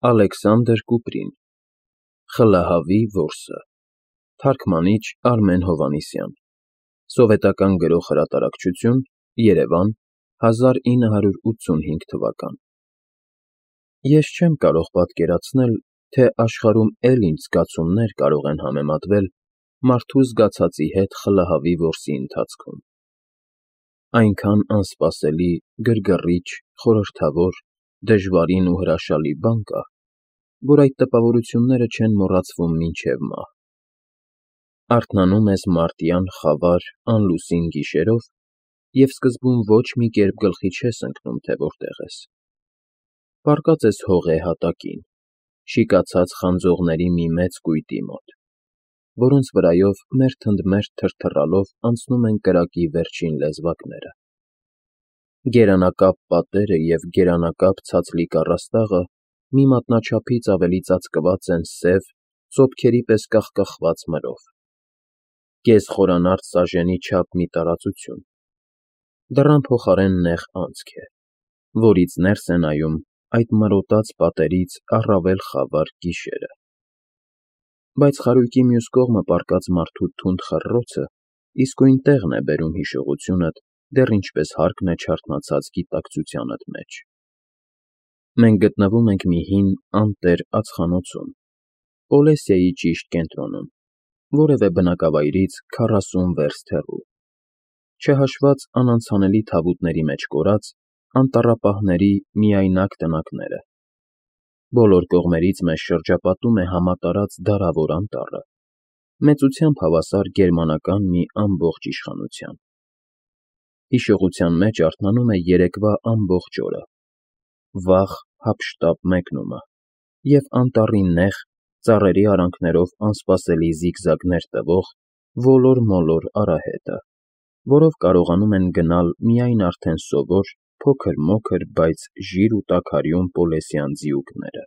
Ալեքսանդր Կուպրին, Խլահավի որսը, թարգմանիչ Արմեն Հովհաննիսյան, սովետական գրող֊հրատարակչություն, Երևան, 1985 թվական։ Ես չեմ կարող պատկերացնել, թե աշխարհում էլ ինչ զգացումներ կարող են համեմատվել մարդու զգացածի հետ Խլահավի որսի ընթացքում։ Այնքան անսպասելի, գրգռիչ, խորհրդավոր, դժվարին ու հրաշալի բան կա, որ այդ տպավորությունները չեն մոռացվում մինչև մահ։ Արթնանում ես մարտյան խավար, անլուսին գիշերով և սկզբում ոչ մի կերպ գլխի չես ընկնում, թե որտեղ ես։ Պառկած ես հողե հատակին, շիկացած խանձողների մի մեծ կույտի մոտ, որոնց վրայով մերթընդմերթ թրթռալով անցնում են կրակի վերջին լեզվակները։ Գերանակապ պատերը և գերանակապ ցածլիկ առաստաղը մի մատնաչափից ավելի ծածկված են սև, ծոփքերի պես կախկախված մրով։ Կես խորանարդ սաժենի չափ մի տարածություն։ Դռան փոխարեն նեղ անցք է, որից ներս է նայում այդ մրոտած պատերից առավել խավար գիշերը։ Բայց խարույկի մյուս կողմը պառկած մարդու թունդ խռռոցը իսկույն տեղն է բերում հիշողությունդ, դեռ ինչպես հարկն է չարթնացած գիտակցությանդ մեջ։ Մենք գտնվում ենք մի հին, անտեր ածխանոցում, Պոլեսիայի ճիշտ կենտրոնում, որևէ բնակավայրից 40 վերստ հեռու, չհաշված անանցանելի թավուտների մեջ կորած անտառապահների միայնակ տնակները։ Բոլոր կողմերից մեզ շրջապատում է համատարած դարավոր անտառը, մեծությամբ հավասար գերմանական մի ամբողջ իշխանության։ Հիշողության մեջ արթնանում է երեկվա ամբողջ օրը, վաղ հափշտապ մեկնումը և անտառի նեղ, ծառերի արանքներով անսպասելի զիգզագներ տվող ոլոր֊մոլոր արահետը, որով կարողանում են գնալ միայն արդեն սովոր, փոքր֊մոքր, բայց ժիր ու տաքարյուն պոլեսյան ձիուկները։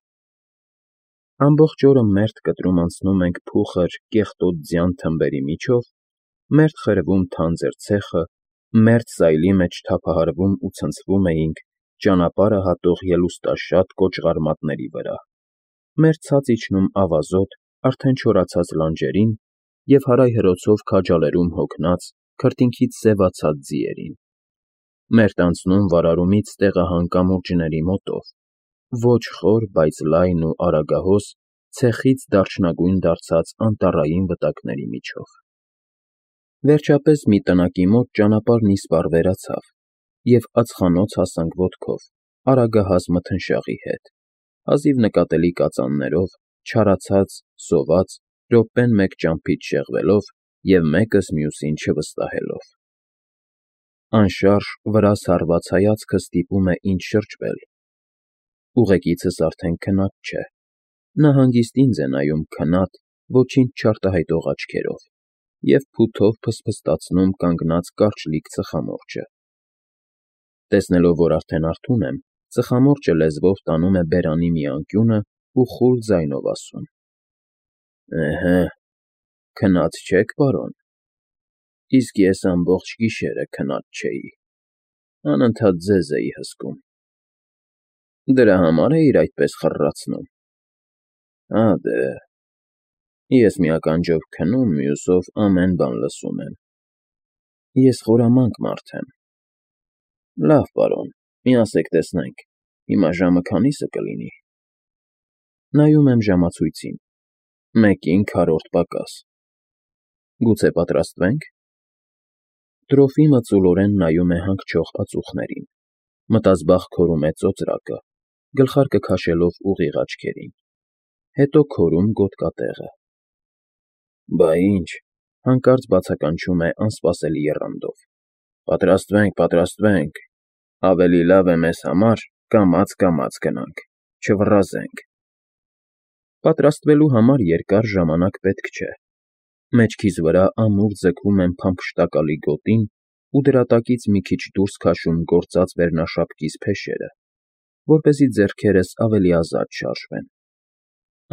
Ամբողջ օրը մերթ կտրում անցնում ենք փուխր, կեղտոտ ձյան թմբերի միջով, մերթ խրվում թանձր ցեխը, մերթ սայլի մեջ թափահարվում ու ցնցվում էինք ճանապարհը հատող ելուստաշատ կոճղարմատների վրա, մերթ ցած իջնում ավազոտ, արդեն չորացած լանջերին և հարայհրոցով քաջալերում հոգնած, քրտինքից սևացած ձիերին, մերթ անցնում վարարումից տեղահան կամուրջների մոտով, ոչ խոր, բայց լայն ու արագահոս, ցեխից դարչնագույն դարձած անտառային վտակների միջով։ Վերջապես մի տնակի մոտ ճանապարհն իսպառ վերացավ, և ածխանոց հասանք ոտքով, արագահաս մթնշաղի հետ, հազիվ նկատելի կածաններով, չարացած, սոված, րոպեն մեկ ճամփից շեղվելով և մեկս մյուսին չվստահելով։ Անշարժ, վրաս հառված հայացքս ստիպում է ինձ շրջվել։ Ուղեկիցս արդեն քնած չէ, նա հանգիստ ինձ է նայում քնած, ոչինչ չարտահայտող աչքերով և փութով փսփստացնում կանգնած կարճլիկ ծխամորճը։ Տեսնելով, որ արդեն արթուն եմ, ծխամորճը լեզվով տանում է բերանի մի անկյունը ու խուլ ձայնով ասում. Էհե, քնած չեք, պարոն, իսկ ես ամբողջ գիշերը քնած չէի, անընդհատ ձեզ էի հսկում։ Դրա համար էիր այդպես խռռացնում։ Հա դե, ես մի ականջով քնում, մյուսով ամեն բան լսում եմ։ Ես խորամանկ մարդ եմ։ Լավ, պարոն, միասեք տեսնենք, հիմա ժամը քանի՞սը կլինի։ Նայում եմ ժամացույցին. 1:4 պակաս։ Գուցե պատրաստվե՞նք։ Տրոֆիմը ծուլորեն նայում է հանգչող ածուխներին, մտազբաղ քորում է ծոծրակը, գլխարկը քաշելով ուղիղ աչքերին, հետո քորում գոտկատեղը։ Բա ինչ, հանկարծ բացականչում է անսպասելի եռանդով. Պատրաստվենք, ավելի լավ է մեզ համար կամաց գնանք, չվռազենք։ Պատրաստվելու համար երկար ժամանակ պետք չէ։ Մեջքիս վրա ամուր ձգում եմ փամփշտակալի գոտին ու դրա տակից մի քիչ դուրս քաշում գործած վերնաշապկիս փեշերը, որպեսզի ձեռքերս ավելի ազատ շարժվեն։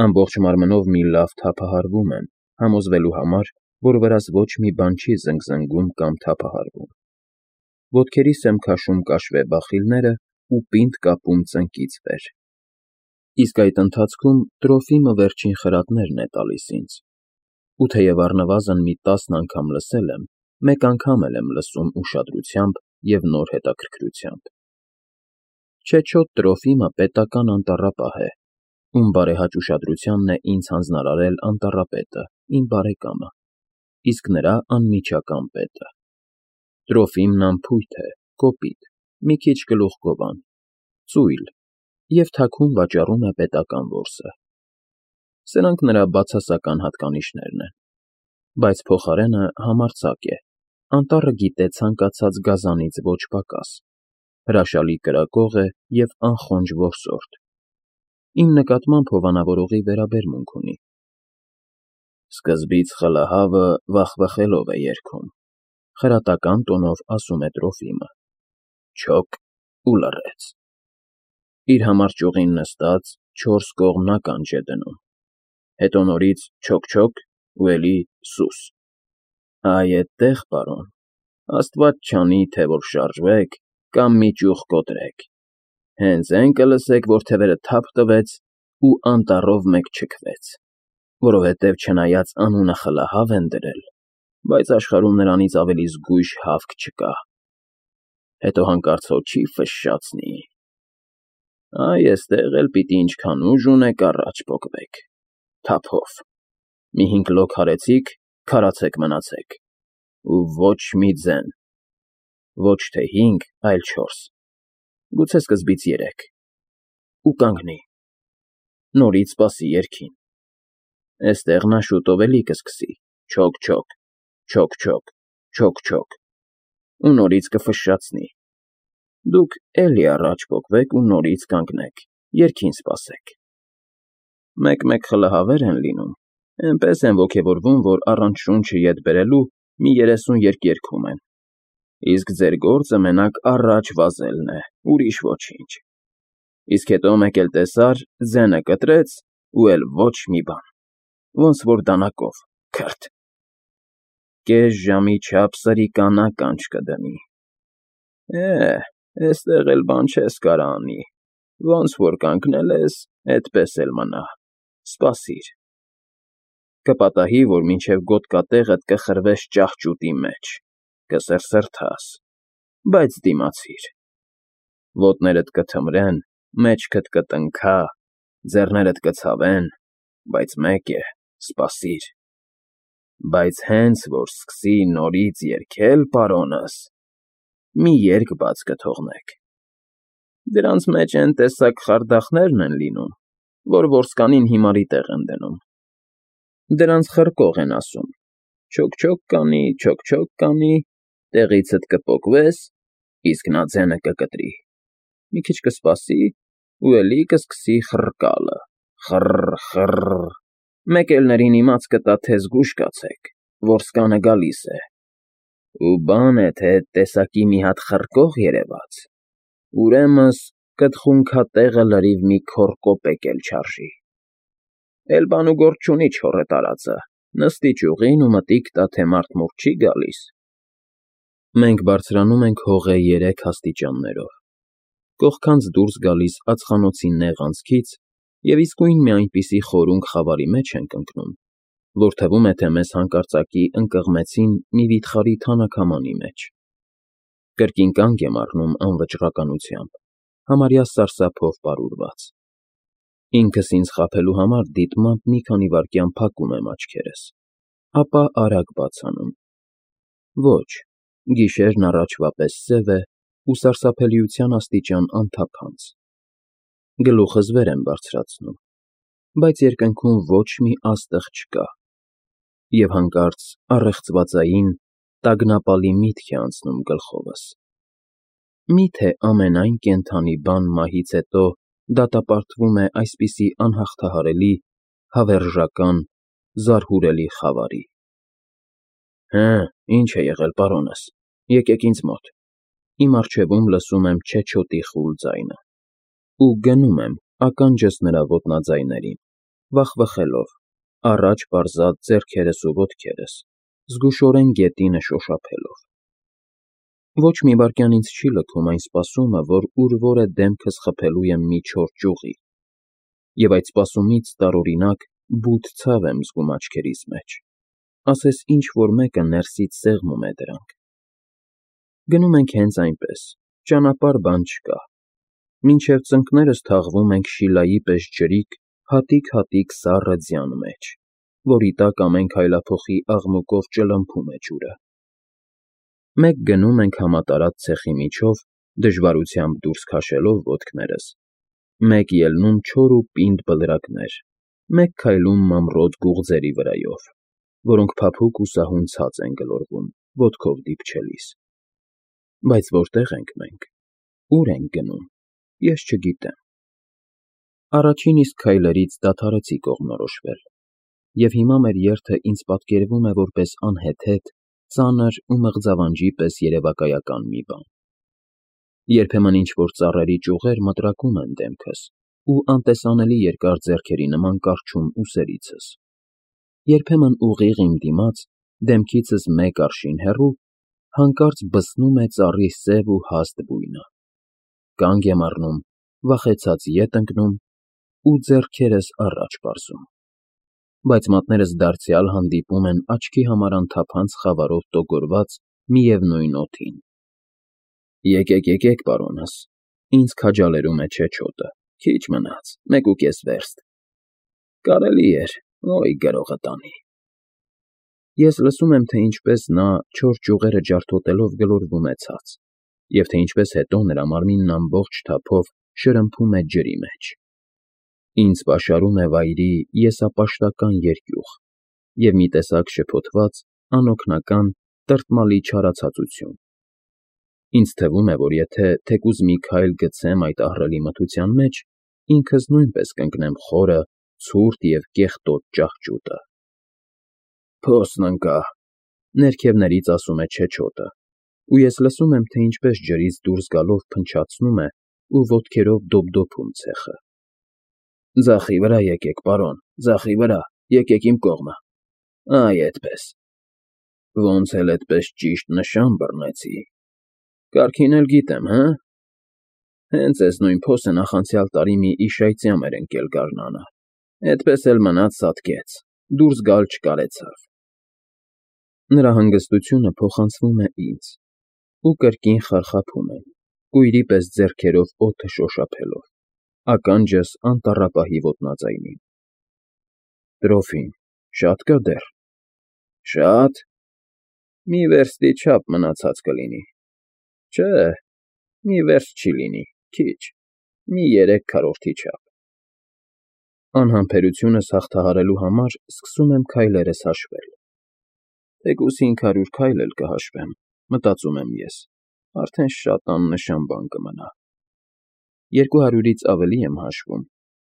Ամբողջ մարմնով մի լավ թափահարվում եմ, համոզվելու համար, որ վրաս ոչ մի բան չի զնգզնգում կամ թափահարվում։ Ոտքերիս եմ քաշում կաշվե բախիլներն ու պինդ կապում ծնկից վեր։ Իսկ այդ ընթացքում Տրոֆիմը վերջին խրատներն է տալիս ինձ, ու թեև առնվազն մի 10 անգամ լսել եմ, մեկ անգամ էլ եմ լսում ուշադրությամբ և նոր հետաքրքրությամբ։ Չեչոտ Տրոֆիմը պետական անտառապահ է, ում բարեհաճ ուշադրությանն է ինձ հանձնարարել անտառապետը, իմ բարեկամը, իսկ նրա անմիջական պետը։ Տրոֆիմն անփույթ է, կոպիտ, մի քիչ գլուխգովան, ծույլ և թաքուն վաճառում է պետական որսը։ Սրանք նրա բացասական հատկանիշներն են, բայց փոխարենը համարձակ է, անտառը գիտե ցանկացած գազանից ոչ պակաս, հրաշալի կրակող է և անխոնջ որսորդ։ Իմ նկատմամբ հովանավորողի վերաբերմունք ունի։ Սկզբից խլահավը վախվխելով է երգում, խրատական տոնով ասում է Տրոֆիմը, չոք ու լռեց։ Իր համար ճյուղին նստած 4 կողմ ականջ է դնում, հետո նորից չոք-չոք ու էլի սուս։ Այ էդտեղ, պարոն, աստված չանի, թե որ շարժվեք կամ մի ճյուղ կոտրեք, հենց էն կլսեք, որ թևերը թափ տվեց ու անտառով մեկ չքվեց, որովհետև չնայած անունը խլահավ են դրել, բայց աշխարհում նրանից ավելի զգույշ հավք չկա։ Հետո հանկարծ հո չի ֆշշացնի։ Այ էստեղ էլ պիտի ինչքան ուժ ունեք առաջ պոկվեք, թափով, մի 5 լոկ հարեցիք, քարացեք մնացեք, ու ոչ մի ձեն, ոչ թե 5, այլ 4, գուցե սկզբից 3, ու կանգնի, նորից սպասի երգին, էստեղ նա շուտով էլի կսկսի, չոք-չոք, չոք-չոք, չոք-չոք, ու նորից կֆշշացնի, դուք էլի առաջ պոկվեք ու նորից կանգնեք, երգին սպասեք։ Մեկ-մեկ խլահավեր են լինում, էնպես են ոգևորվում, որ առանց շունչը ետ բերելու մի 30 երգ երգում են, իսկ ձեր գործը մենակ առաջ վազելն է, ուրիշ ոչինչ, իսկ հետո մեկ էլ տեսար, ձենը կտրեց ու էլ ոչ մի բան, ոնց որ դանակով, քրթ, կես ժամի չափ սրիկան ականջ կդնի։ Էստեղ էլ բան չես կարա անի, ոնց որ կանգնել ես, էդպես էլ մնա, սպասիր։ Կպատահի, որ մինչև գոտկատեղդ կխրվես ճահճուտի մեջ, կսրսրթաս, բայց դիմացիր։ Ոտներդ կթմրեն, մեջքդ կտնքա, ձեռներդ կցավեն, բայց մեկ է, սպասիր։ Բայց հենց որ սկսի նորից երգել, պարոնս, մի երգ բաց կթողնեք։ Դրանց մեջ էն տեսակ խարդախներն են լինում, որ որսկանին հիմարի տեղ են դնում։ Դրանց խռկող են ասում, չոք-չոք կանի, չոք-չոք կանի, տեղիցդ կպոկվես, իսկ նա ձենը կկտրի, մի քիչ կսպասի ու էլի կսկսի խռկալը, խռ֊խռ, մեկ էլ ներին իմաց կտա, թե զգույշ կացեք, որսկանը գալիս է, ու բան է, թե էդ տեսակի մի հատ խռկող երևաց, ուրեմն կտխունքատեղը լրիվ մի քոռ կոպեկ էլ չարժի։ Էլ բան ու գործ չունի չոռե տարածը, նստի ճյուղին ու մտիկ տա, թե մարդ չի գալիս։ Մենք բարձրանում ենք հողե 3 աստիճաններով, կողքանց դուրս գալիս ածխանոցի նեղ անցքից և իսկույն մի այնպիսի խորունգ խավարի մեջ ենք ընկնում, որ թվում է, թե մեզ հանկարծակի ընկղմեցին մի վիթխարի թանաքամանի մեջ։ Կրկին կանգ եմ առնում անվճռականությամբ, համարյա սարսափով պարուրված։ Ինքս ինձ խաբելու համար դիտմամբ մի քանի վայրկյան փակում եմ աչքերս, ապա արագ բաց անում։ Ոչ, գիշերն առաջվա պես սև է ու սարսափելիության աստիճան անթափանց։ Գլուխս վեր եմ բարձրացնում, բայց երկնքում ոչ մի աստղ չկա, և հանկարծ առեղծվածային, տագնապալի միտք է անցնում գլխովս. միթե ամենայն կենդանի բան մահից հետո դատապարտվում է այսպիսի անհաղթահարելի, հավերժական, զարհուրելի խավարի։ Ինչ է եղել, պարոնս, եկեք ինձ մոտ։ Իմ առջևում լսում եմ չեչոտի խուլ ձայնը, ու գնում եմ ականջս նրա ոտնաձայներին, վախվխելով, առաջ պարզած ձեռքերս ու ոտքերս, զգուշորեն գետինը շոշափելով։ Ոչ մի վայրկյան ինձ չի լքում այն սպասումը, որ ուր որ է դեմքս խփելու եմ մի չոր ճյուղի, Եվ այդ սպասումից տարօրինակ բութ ցավ եմ զգում աչքերիս մեջ, ասես ինչ-որ մեկը ներսից սեղմում է դրանք։ Գնում ենք հենց այնպես, ճանապարհ բան չկա, մինչև ծնկներս թաղվում ենք Շիլայի պես ջրիկ, հատիկ-հատիկ սառը ձյան մեջ, որի տակ ամեն քայլափոխի աղմուկով ճլմփում է ջուրը։ Մեկ գնում ենք համատարած ցեխի միջով, դժվարությամբ դուրս քաշելով ոտքներս, մեկ ելնում չոր ու պինդ բլրակներ, մեկ քայլում մամռոտ գուղձերի վրայով, որոնք փափուկ ու սահուն ցած են գլորվում, ոտքով դիպչելիս։ Բայց որտե՞ղ ենք մենք, ուր ենք գնում, ես չգիտեմ։ Առաջին իսկ քայլերից դադարեցի կողմնորոշվել, և հիմա մեր երթը ինձ պատկերվում է որպես անհեթեթ, ծանր ու մղձավանջի պես երևակայական մի բան։ Երբեմն ինչ-որ ծառերի ճյուղեր մտրակում են դեմքս ու անտեսանելի երկար ձեռքերի նման կառչում ուսերիցս։ Երբեմն ուղիղ իմ դիմաց, դեմքիցս մեկ արշին հեռու, հանկարծ բսնում է ծառի սև ու հաստ բույնը։ Կանգ եմ առնում, վախեցած ետ ընկնում ու ձեռքերս առաջ պարզում։ Բայց մատներս դարձյալ հանդիպում են աչքի համար անթափանց խավարով տոգորված միևնույն օդին։ Եկեք, պարոնս, ինձ քաջալերում է չեչոտը, քիչ մնաց, 1.5 վերստ։ Կարելի էր, օй գրողը տանի։ Ես լսում եմ, թե ինչպես նա չոր ճյուղերը ջարդոտելով գլորվում է ցած, և թե ինչպես հետո նրա մարմինն ամբողջ թափով շրմփում է ջրի մեջ։ Ինձ պաշարում է վայրի եսապաշտական երկյուղ և մի տեսակ շփոթված, անօգնական, տրտմալի չարացածություն։ Ինձ թվում է, որ եթե թեկուզ մի քայլ գցեմ այդ ահռելի մթության մեջ, ինքս նույնպես կընկնեմ խորը, ցուրտ և կեղտոտ ճահճուտը։ Փոսն ընկա, ներքևներից ասում է չեչոտը, ու ես լսում եմ, թե ինչպես ջրից դուրս գալով փնչացնում է ու ոտքերով դոփդոփում ցեխը։ Ձախի վրա եկեք, պարոն, ձախի վրա, եկեք իմ կողմը։ Այ էդպես։ Ոնց էլ էդպես ճիշտ նշան բռնեցի։ Կարգին էլ գիտեմ, հը։ Հենց էս նույն փոսը նախանցյալ տարի մի իշայծյամ էր ընկել գարնանը, էդպես էլ մնաց սատկեց, դուրս գալ չկարեցավ։ Նրա հանգստությունը փոխանցվում է ինձ, ու կրկին խարխափում եմ, կույրի պես ձեռքերով օդը շոշափելով, ականջս անտառապահի ոտնաձայնին։ Տրոֆիմ, շա՞տ կա դեռ։ Շա՞տ։ Մի վերստի չափ մնացած կլինի։ Չէ, մի վերստ չի լինի, քիչ, մի 3/4 չափ։ Անհամբերությունս հաղթահարելու համար սկսում եմ քայլերս հաշվել։ Թեկուզ 500 քայլ էլ կհաշվեմ, մտածում եմ ես, արդեն շատ աննշան բան կմնա։ 200-ից ավելի եմ հաշվում,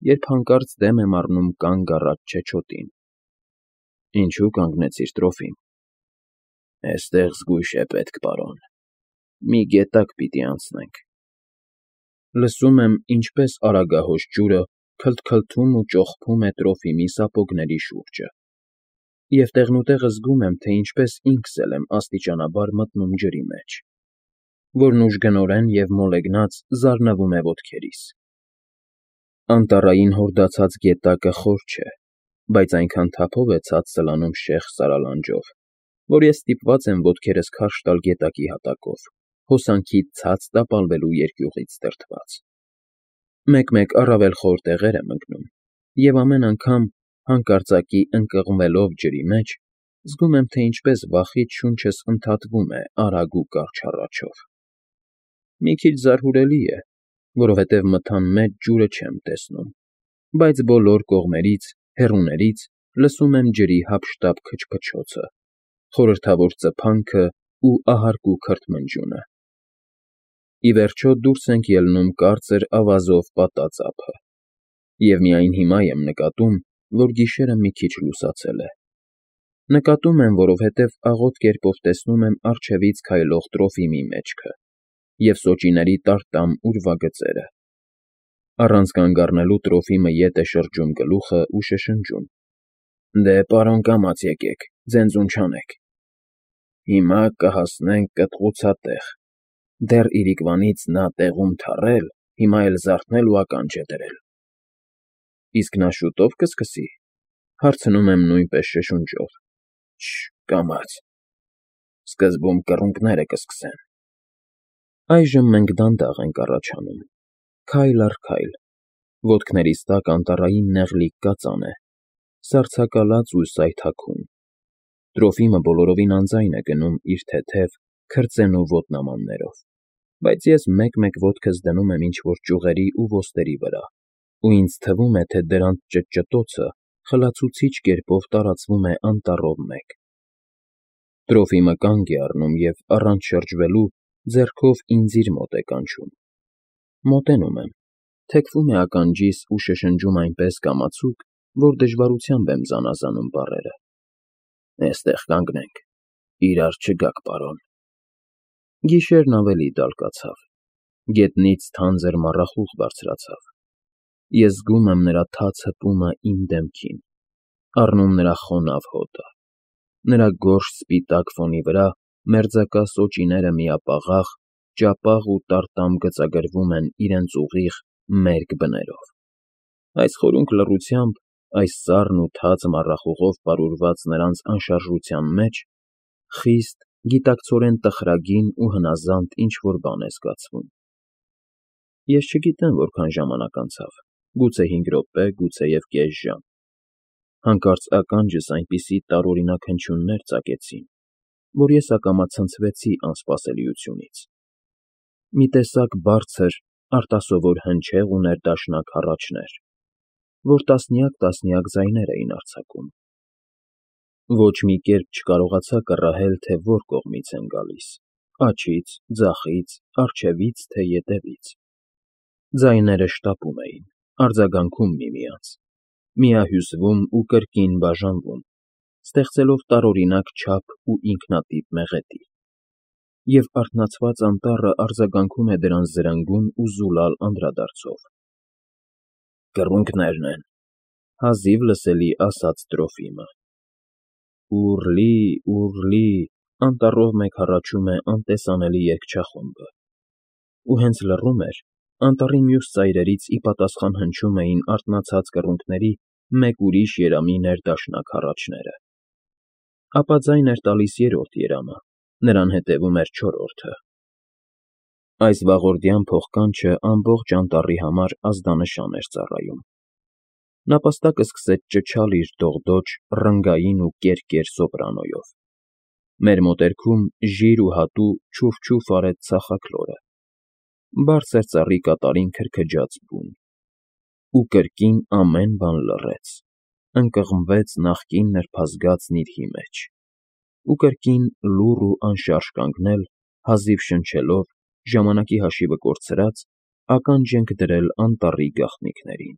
երբ հանկարծ դեմ եմ առնում կանգ առած չեչոտին։ Ինչու կանգնեցիր, Տրոֆիմ։ Էստեղ զգույշ է պետք, պարոն։ Մի գետակ պիտի անցնենք։ Լսում եմ, ինչպես արագահոս ջուրը քլթքլթում ու ճոխփում է Տրոֆիմի սապոգների շուրջը, և տեղնուտեղը զգում եմ, թե ինչպես ինքս էլ եմ աստիճանաբար մտնում ջրի մեջ, որն ուժգնորեն և մոլեգնած զարնվում է ոտքերիս։ Անտառային հորդացած գետակը խոր չէ, բայց այնքան թափով է ցած սլանում շեղ սարալանջով, որ ես ստիպված եմ ոտքերս քարշ տալ գետակի հատակով, հոսանքիդ ցած տապալվելու երկյուղից դրդված։ Մեկ-մեկ առավել խոր տեղեր եմ ընկնում, և ամեն անգամ, հանկարծակի ընկղմվելով ջրի մեջ, զգում եմ, թե ինչպես վախից շունչս ընդհատվում է արագ ու կարճ հառաչով։ Մի քիչ զարհուրելի է, որովհետև մթան մեջ ջուրը չեմ տեսնում, բայց բոլոր կողմերից, հեռուներից լսում եմ ջրի հափշտապ քչփչոցը, խորհրդավոր ծփանքը ու ահարկու քրթմնջյունը։ Ի վերջո դուրս ենք ելնում կարծր ավազով պատած ափը, և միայն հիմա եմ նկատում, որ գիշերը մի քիչ լուսացել է։ Նկատում եմ, որովհետև աղոտ կերպով տեսնում եմ առջևից քայլող Տրոֆիմի մեջքը և սոճիների տարտամ ուրվագծերը։ Առանց կանգ առնելու Տրոֆիմը ետ է շրջում գլուխը ու շշնջում. Դե, պարոն, կամաց եկեք, ձենձուն չանեք։ Հիմա կհասնենք կտղուցատեղ։ Դեռ իրիկվանից նա տեղում թռել, հիմա էլ զարթնել ու ականջ է դրել։ Իսկ նա շուտո՞վ կսկսի, հարցնում եմ նույնպես շշունջով։ Կամաց։ Սկզբում կռունկները կսկսեն։ Այժմ մենք դանդաղ ենք առաջանում, քայլ առ քայլ, ոտքներիս տակ անտառային նեղլիկ կածան է, սառցակալած ու սայթաքուն։ Տրոֆիմը բոլորովին անձայն է գնում իր թեթև, քրծենու ոտնամաններով, բայց ես մեկ-մեկ ոտքս դնում եմ ինչ֊որ ճյուղերի ու ոսტերի վրա, ու ինձ թվում է, թե դրանց ճտճտոցը խլացուցիչ կերպով տարածվում է անտառով մեկ։ Տրոֆիմը կանգ է առնում և, առանց շրջվելու, ձեռքով ինձ իր մոտ է կանչում։ Մոտենում եմ, թեքվում է ականջիս ու շշնջում այնպես կամացուկ, որ դժվարությամբ եմ զանազանում բառերը։ Էստեղ կանգնենք, իրար չգաք, պարոն։ Գիշերն ավելի դալկացավ, գետնից թանձր մառախուղ բարձրացավ։ Ես զգում եմ նրա թաց հպումը իմ դեմքին, առնում նրա խոնավ հոտը։ Նրա գորշ սպիտակ ֆոնի վրա մերձակա սոճիները միապաղաղ, ճապաղ ու տարտամ գծագրվում են իրենց ուղիղ, մերկ բներով։ Այս խորունկ լռությամբ, այս սառն ու թաց մառախուղով պարուրված նրանց անշարժության մեջ խիստ, գիտակցորեն տխրագին ու հնազանդ ինչ֊որ բան է զգացվում։ Ես չգիտեմ որքան ժամանակ անցավ, գուցե 5 րոպե, գուցեև կես ժամ։ Հանկարծ ականջս այնպիսի տարօրինակ հնչյուններ ծակեցին, որ ես ակամա ցնցվեցի անսպասելիությունից։ Մի տեսակ բարձր, արտասովոր հնչեղ ու ներդաշնակ հառաչներ, որ տասնյակ ձայներ էին արձակում։ Ոչ մի կերպ չկարողացա կռահել, թե որ կողմից են գալիս՝ աջից, ձախից, առջևից, թե ետևից։ Ձայները շտապում էին, արձագանքում միմյանց, միահյուսվում ու կրկին բաժանվում, ստեղծելով տարօրինակ չափ ու ինքնատիպ մեղեդի։ Եվ արթնացված անտառը արձագանքում է դրանց զրնգուն ու զուլալ անդրադարձով։ Կռունկներն են, հազիվ լսելի ասաց Տրոֆիմը։ Ուռլի, անտառով մեկ հառաչում է անտեսանելի երգչախումբը։ Ու հենց լռում էր, անտառի մյուս ծայրերից ի պատասխան հնչում էին արթնացած կռունկների մեկ ուրիշ երամի ներդաշնակ հառաչները։ Ապա ձայն էր տալիս երրորդ երամը, նրան հետևում էր չորրորդը։ Այս վաղորդյան փողկանչը ամբողջ անտառի համար ազդանշան էր ծառայում։ Նապաստակը սկսեց ճչալ իր դողդոջ, ռնգային ու կերկեր սոպրանոյով։ Մեր մոտերքում ժիր ու հատու չուֆ֊չուֆ արեց ցախաքլորը։ Բարձր ծառի կատարին քրքջաց բուն։ Ու կրկին ամեն բան լռեց, ընկղմվեց նախկին նրբազգաց նիրհի մեջ։ Ու կրկին լուռ ու անշարժ կանգնել, հազիվ շնչելով, ժամանակի հաշիվը կորցրած, ականջ ենք դրել անտառի գաղտնիքներին։